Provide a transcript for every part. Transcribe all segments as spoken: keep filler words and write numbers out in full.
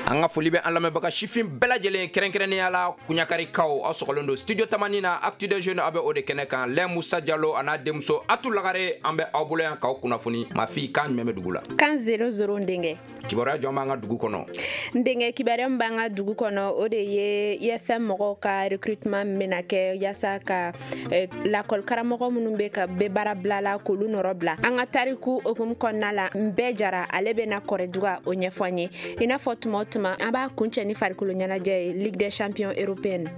An ka foli bɛ an lamɛnbaga sifin bɛɛ lajɛlen, kɛrɛnkɛrɛnnenya la Kuɲakarikaw. Aw sɔgɔlen don Studio Tamani na, Actu des Jeunes, aw bɛ o de kɛnɛ kan. Lɛ Musa Jalo a n'a denmuso Atu Lagare, an bɛ aw bolo yan k'aw kunnafoni. Mafi, kan jumɛn bɛ dugu la? Kan zéro zéro, n denkɛ. Kibaruya jɔn b'an ka dugu kɔnɔ? N denkɛ, kibaruya min b'an ka dugu kɔnɔ, o de ye I F M mɔgɔw ka recrutement min bɛna kɛ yaasa ka eh, lakɔli karamɔgɔ minnu bɛ ka bɛ baara bila la, k'olu nɔrɔ bila. An ka tariku hukumu kɔnɔna la, n bɛɛ jara ale bɛna Kɔrɛduga o ɲɛfɔ an ye. I n'a fɔ tuma o tuma, an b'a kuncɛ ni farikolo ɲɛnajɛ ye, Ligue des champions européenne.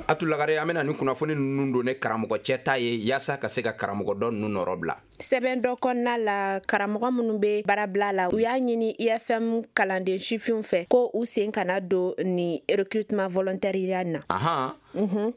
Atu Lagare, an bɛna ni kunnafoni ninnu don ne karamɔgɔ cɛ ta ye yaasa ka se ka karamɔgɔ dɔ ninnu nɔrɔ bila. Sɛbɛn dɔ kɔnɔna la, karamɔgɔ minnu bɛ baarabila la, u y'a ɲini I F M kalanden sifinw fɛ ko u sen kana don ni recrutement volontaire na. Ahan,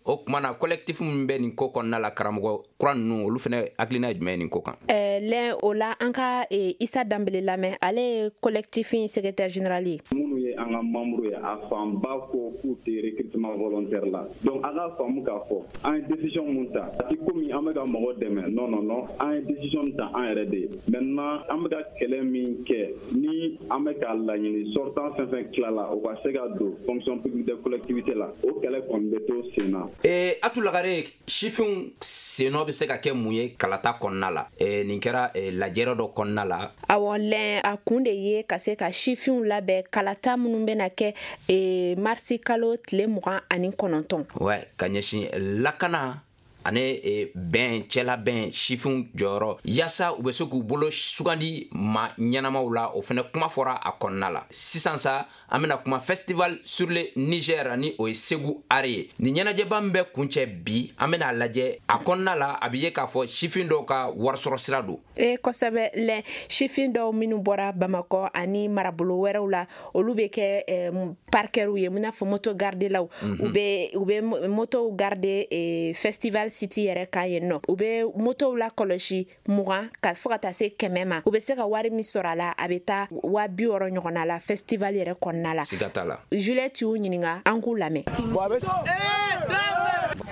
o tuma na collectif min bɛ nin ko kɔnɔna la, karamɔgɔ kura ninnu, olu fana hakilina ye jumɛn ye nin ko kan? Ɛɛ lɛn o la, an ka eh, Isa Danbele lamɛn, ale ye collectif in secrétaire général ye. Minnu ye an ka membre ye, a fanba ko k'u tɛ recrutement volontaire la. Donc a ka faamu k'a fɔ an ye décision mun ta, a ti komi an bɛ ka mɔgɔ dɛmɛ. Non, non, non, an ye décision ta an yɛrɛ de ye. Maintenant, an bɛ ka kɛlɛ min kɛ ni an bɛ k'a laɲini, sortant fɛn fɛn tilala, o ka se ka don fonction publique de collectivité la, o kɛlɛ kɔni bɛ to sen na. ee Atu Lagare, sifinw sennɔ bɛ se ka kɛ mun ye kalata kɔnɔna la? ee nin kɛra eh, lajɛrɛ dɔ kɔnɔna la. Awɔ lɛn, a kun de ye ka se ka sifinw labɛn kalata minnu bɛna kɛ e, marisi kalo tile mugan ani kɔnɔntɔn. Ouais, ka ɲɛsin lakana ani e, bɛn cɛla bɛn, sifinw jɔyɔrɔ yaasa u bɛ se k'u bolo sugandi ma ɲɛnamaw la, o fɛnɛ kuma fɔra a kɔnɔna la. Sisan sa, an bena kuma Festival sur le Niger, ni o ye Segu Art ye. Nin ɲɛnajɛba min bɛ kuncɛ bi, an bena lajɛ a kɔnɔna la, a be ye k'a fɔ sifin dɔw ka warisɔrɔ sira don. E kosɛbɛ lɛn, sifin dɔw minnu bɔra Bamakɔ ani marabolo wɛrɛw la, olu bɛ kɛ eh, parkɛriw ye, i n'a fɔ moto gardelaw. mm -hmm. u bɛ u bɛ motow garde eh, festival site yɛrɛ kan yen nɔ. U bɛ motow la kɔlɔsi mugan ka fo ka taa se kɛmɛ ma. U bɛ se ka wari min sɔrɔ a la, a bɛ taa waa bi wɔɔrɔ ɲɔgɔnna la festival yɛrɛ kɔnɔna la. Siga t'a la. Juliette y'u ɲininka, an k'u lamɛn.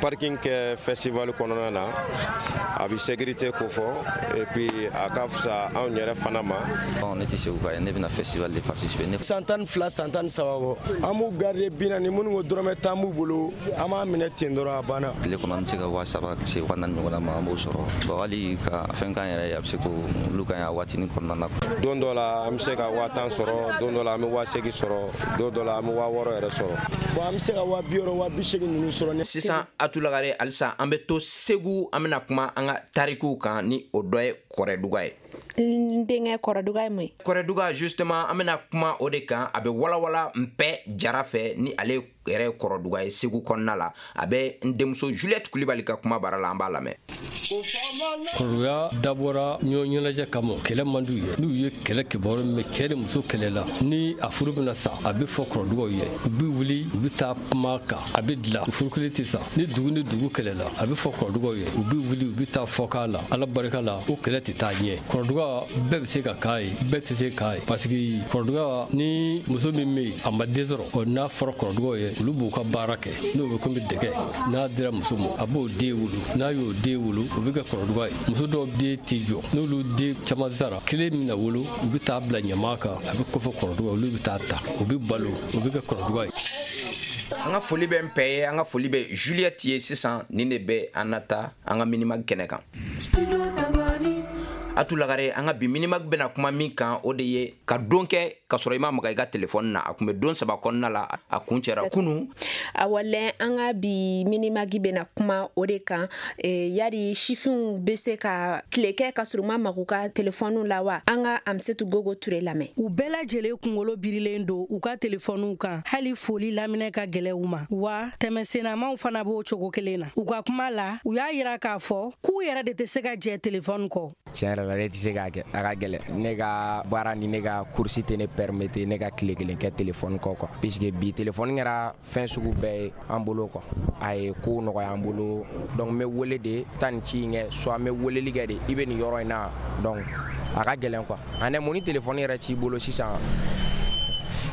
Parking kɛ festival kɔnɔna na, a bɛ sécurité ko fɔ, et puis a ka fisa anw yɛrɛ fana ma. Ne tɛ Segu ka ye, ne bɛna festival de participer. Ne san tan ni fila, san tan ni saba bɔ, an b'u garder bi naani. Minnu ko dɔrɔmɛ tan b'u bolo, an b'a minɛ ten dɔrɔn, a banna. Tile kɔnɔ, an bɛ se ka waa saba se waa naani ɲɔgɔnna ma, an b'o sɔrɔ. Bon, hali ka fɛn k'an yɛrɛ ye, a bɛ se k'olu ka ɲi a waatinin kɔnɔna na. Don dɔ la, an bɛ se ka waa tan sɔrɔ, don dɔ la, an bɛ waa seegin sɔrɔ, don dɔ la, an bɛ waa wɔɔrɔ yɛrɛ sɔrɔ. Bon, an bɛ se ka waa bi wɔɔrɔ, waa bi seegin ninnu sɔrɔ. Sisan, Atulagare, halisa an bɛ to Segu, an bɛna kuma an ka tarikuw kan, ni o dɔ ye Kɔrɛduga ye. N denkɛ, Kɔrɔduga ye mun ye? Kɔrɛduga justement, an bɛna kuma o de kan. A bɛ walawala Npɛ Jara fɛ, ni ale yɛrɛ ye Kɔrɔduga ye Segu kɔnɔna la. A bɛ n denmuso Juliette Kulibali ka kuma bara la, an b'a lamɛn. Kɔrɔduga dabɔra ɲɔgɔn ɲɛnajɛ kama. Kɛlɛ man d'u ye. N'u ye kɛlɛ kibaru mɛn, cɛɛ ni muso kɛlɛla, ni a furu bɛna sa, a bɛ fɔ kɔrɔdugaw ye, u bɛ wuli, u bɛ taa kuma kan, a bɛ dilan, furu kelen tɛ sa. Ni dugu ni dugu kɛlɛla, a bɛ fɔ kɔrɔdugaw ye, u bɛ wuli, u bɛ taa fɔ k'a la, Ala barika la, o kɛlɛ tɛ taa ɲɛ. Kɔrɔduga bɛɛ bɛ se ka k'a ye, bɛɛ tɛ se k'a ye, parce que kɔrɔduga ni muso min bɛ yen, a ma den sɔrɔ, ɔ n'a fɔra kɔrɔdugaw ye, olu b'u ka baara kɛ, n'o bɛ komi dɛgɛ, n'a dira muso ma, a b'o den wolo. N'a y'o den wolo, o bɛ kɛ kɔrɔduga ye. Muso dɔw den tɛ jɔ, n'olu den caman sara, kelen min na wolo, u bɛ taa bila ɲama kan, a bɛ kɔfɛ kɔrɔduga, olu bɛ taa ta, o bɛ balo, o bɛ kɛ kɔrɔduga ye. An ka foli bɛ n pɛ ye, an ka foli bɛ Juliette ye. Sisan, nin de bɛ an na taa an ka Minimag kɛnɛ kan. Atu Lagare, an ka bi Minimag bɛna kuma min kan, o de ye ka don kɛ ka sɔrɔ i ma maga i ka telefɔni na. A kun bɛ don saba kɔnɔna la, a kun cɛra kunu. Awɔ lɛn, an ka bi Minimagi bɛna kuma o de kan. e, yari sifinw bɛ se ka tile kɛ ka sɔrɔ u ma magu ka telefɔniw la wa? An ka Amisetu Gogo Ture lamɛn. U bɛɛ lajɛlen kunkolo birilen don u ka telefɔniw kan, hali foli laminɛ ka gɛlɛ u ma wa. Tɛmɛsennamaw fana b'o cogo kelen na. U ka kuma la, u y'a yira k'a fɔ k'u yɛrɛ de tɛ se ka jɛ telefɔni kɔ. Tiɲɛ yɛrɛ la, ne tɛ se k'a kɛ, a ka gɛlɛn. Ne ka baara ni ne ka course tɛ ne permettre ne ka tile kelen kɛ telefɔni kɔ quoi, puisque bi telefɔni kɛra fɛn sugu bɛɛ ye an bolo quoi. A ye kow nɔgɔya an bolo. Donc n bɛ wele de taa nin ci in kɛ, soit n bɛ weleli kɛ de, i bɛ nin yɔrɔ in na. Donc a ka gɛlɛn quoi. Ani mun ni telefɔni yɛrɛ t'i bolo sisan,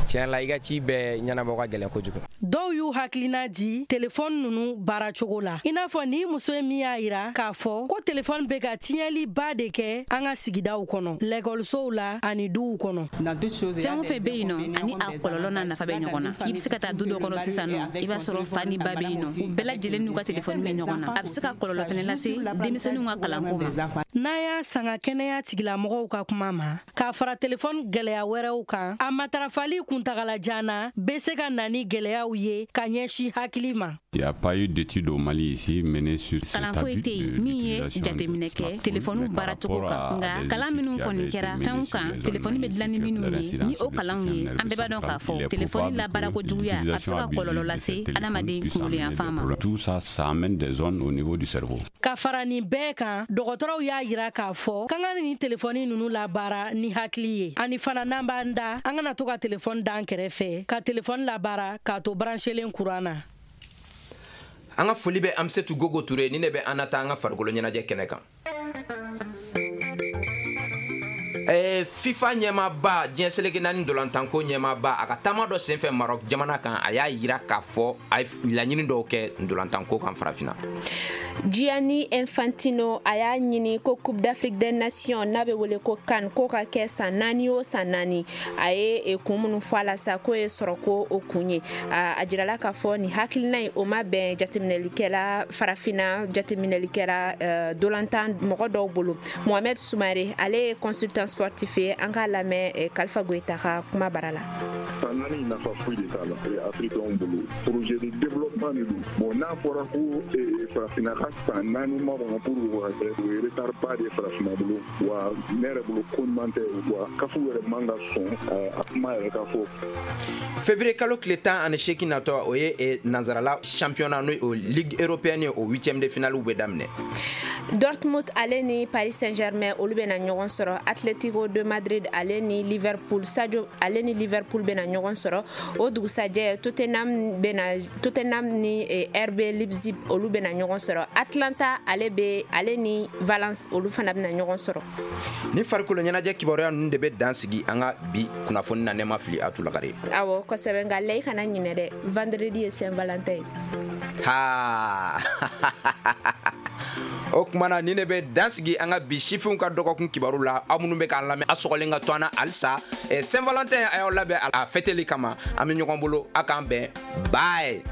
tiɲɛ la, i ka ci bɛɛ ɲɛnabɔ ka gɛlɛn kojugu. Dɔw y'u hakilina di telefɔni ninnu baaracogo la, i n'a fɔ ni muso ye min y'a yira k'a fɔ ko telefɔni bɛ ka tiɲɛliba de kɛ an ka sigidaw kɔnɔ, lɛkɔlisow la ani duw kɔnɔ. Fɛn o fɛn bɛ yen nɔ, ani a kɔlɔlɔ n'a nafa bɛ ɲɔgɔn na. I bɛ se ka taa du dɔ kɔnɔ sisan nɔ, i b'a sɔrɔ fa ni ba bɛ yen nɔ, u bɛɛ lajɛlen n'u ka telefɔni bɛ ɲɔgɔn na. A bɛ se ka kɔlɔlɔ fɛnɛ lase denmisɛnninw ka kalanko ma. N'a y'a sanga kɛnɛya tigilamɔgɔw ka kuma ma, k'a fara telefɔni gɛlɛya wɛrɛw kan, a matarafali kuntagalajan na bɛ se ka na ni gɛlɛyaw ye ka ɲɛsin hakili ma. Il n'y a pas eu d'études au Mali ici menées sur cet Kalan foyi abus tɛ yen de min ye l'utilisation des jateminɛ kɛ smartphones, telefɔniw mais par baaracogo rapport kan, à nka des kalan études minnu qui avaient kɔni été kɛra menées fɛnw sur kan les telefɔni bɛ zones dilan ni ainsi que minnu ye, l'incidence ni o sur le kalanw système ye, an nerveux bɛɛ b'a dɔn k'a central, il fɔ est telefɔni probable labaarako que juguya a bɛ se l'utilisation ka abusive kɔlɔlɔ de lase ces téléphones adamaden puisse kunkolo amener des yanfan ma. problèmes. Tout ça, ça amène des zones au niveau du cerveau. Ka fara nin bɛɛ kan, dɔgɔtɔrɔw y'a yira k'a fɔ k'an ka nin telefɔni ninnu labaara ni hakili ye, ani fana n'an b'an da, an kana to ka telefɔni d'an kɛrɛfɛ, ka telefɔni labaara k'a to branchelen kuran na. An ka foli bɛ Amsetu Gogo Ture ni ne bɛ an na taa an ka farikolo ɲɛnajɛ kɛnɛ kan. Eh, FIFA ɲɛmaaba, diɲɛ seleke naani dolantanko ɲɛmaaba, a ka taama dɔ senfɛ Maroc jamana kan, a y'a yira k'a fɔ a ye laɲini dɔw kɛ dolantanko kan farafinna. Gianni Infantino a y'a ɲini ko Coupe d'Afrique des Nations n'a bɛ wele ko CAN k'o ka kɛ san naani o san naani. A ye eh, kun minnu fɔ a la sa, k'o ye sɔrɔ ko o kun ye. A a jirala k'a fɔ nin hakilina in, o ma bɛn jateminɛlikɛla farafinna jateminɛlikɛla eh, dolantan mɔgɔ dɔw bolo. Mohamed Soumare, ale ye consultant sportif ye, an k'a lamɛn eh, Kalifa Goyita ka kuma bara la. San naani nafa foyi de t'a la afirikɛnw bolo. Projet de développement de don. Bon, n'a fɔra ko eh, farafinna ka san naani makɔnɔ pour o ka kɛ, o ye retard ba de ye farafinna bolo. Wa ne yɛrɛ bolo, ko ɲuman tɛ wa kafu yɛrɛ man ka sɔn eh, a kuma yɛrɛ ka fɔ. Février kalo tile tan ani seegin natɔ, o ye eh, nanzarala championnat n'o ye o ligue européenne ye, o huitième de finale bɛ daminɛ. Dortmund ale ni Paris Saint-Germain olu bɛna ɲɔgɔn sɔrɔ. Atletico de Madrid ale ni Liverpool, Sadio ale ni Liverpool bɛna ɲɔgɔn sɔrɔ. O dugusajɛ, Tottenham bɛna Tottenham ni eh, R B Leipzig olu bɛna ɲɔgɔn sɔrɔ. Atlanta ale bɛ ale ni Valence olu fana bɛna ɲɔgɔn sɔrɔ. Ni farikolo ɲɛnajɛ kibaruya ninnu de bɛ dan sigi an ka bi kunnafoni na. Ne ma fili, a tulakare? Awɔ, kosɛbɛ, nka lɛ, i kana ɲinɛ dɛ, vendredi ye Saint Valentin ye. Ha, o kuma na, ni ne bɛ dan sigi an ka bi sifinw ka dɔgɔkun kibaru la. Aw minnu bɛ k'an lamɛn, a sɔgɔlen ka to an na halisa. eh, Saint Valentin, a y'aw labɛn a fɛteli kama. An bɛ ɲɔgɔn bolo, a k'an bɛn, bye.